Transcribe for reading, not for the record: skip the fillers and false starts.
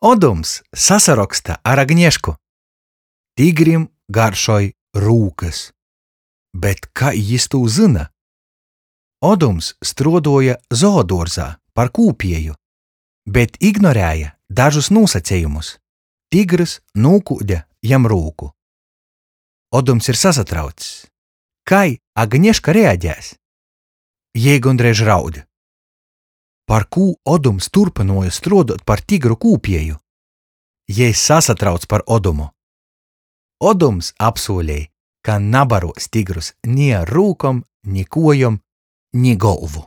Odums sasaroksta ar Agnešku. Tigrim garšoj rūkys. Bet kai jis tū zyna? Odums struoduoja zooduorzā par kūpieju, bet ignorēja dažus nūsacejumus. Tigrys nūkūde jam rūku. Odums ir sasatraucs. Kai Agneška reagēs? Jei gondreiž raud. Parkū Odums turpynuoja struoduot par tigru kūpieju? Jei sasatrauc par Odumu. Odums apsūlej, ka nabaruos tigrus ni ar rūkom, ni kuojom, ni golvu.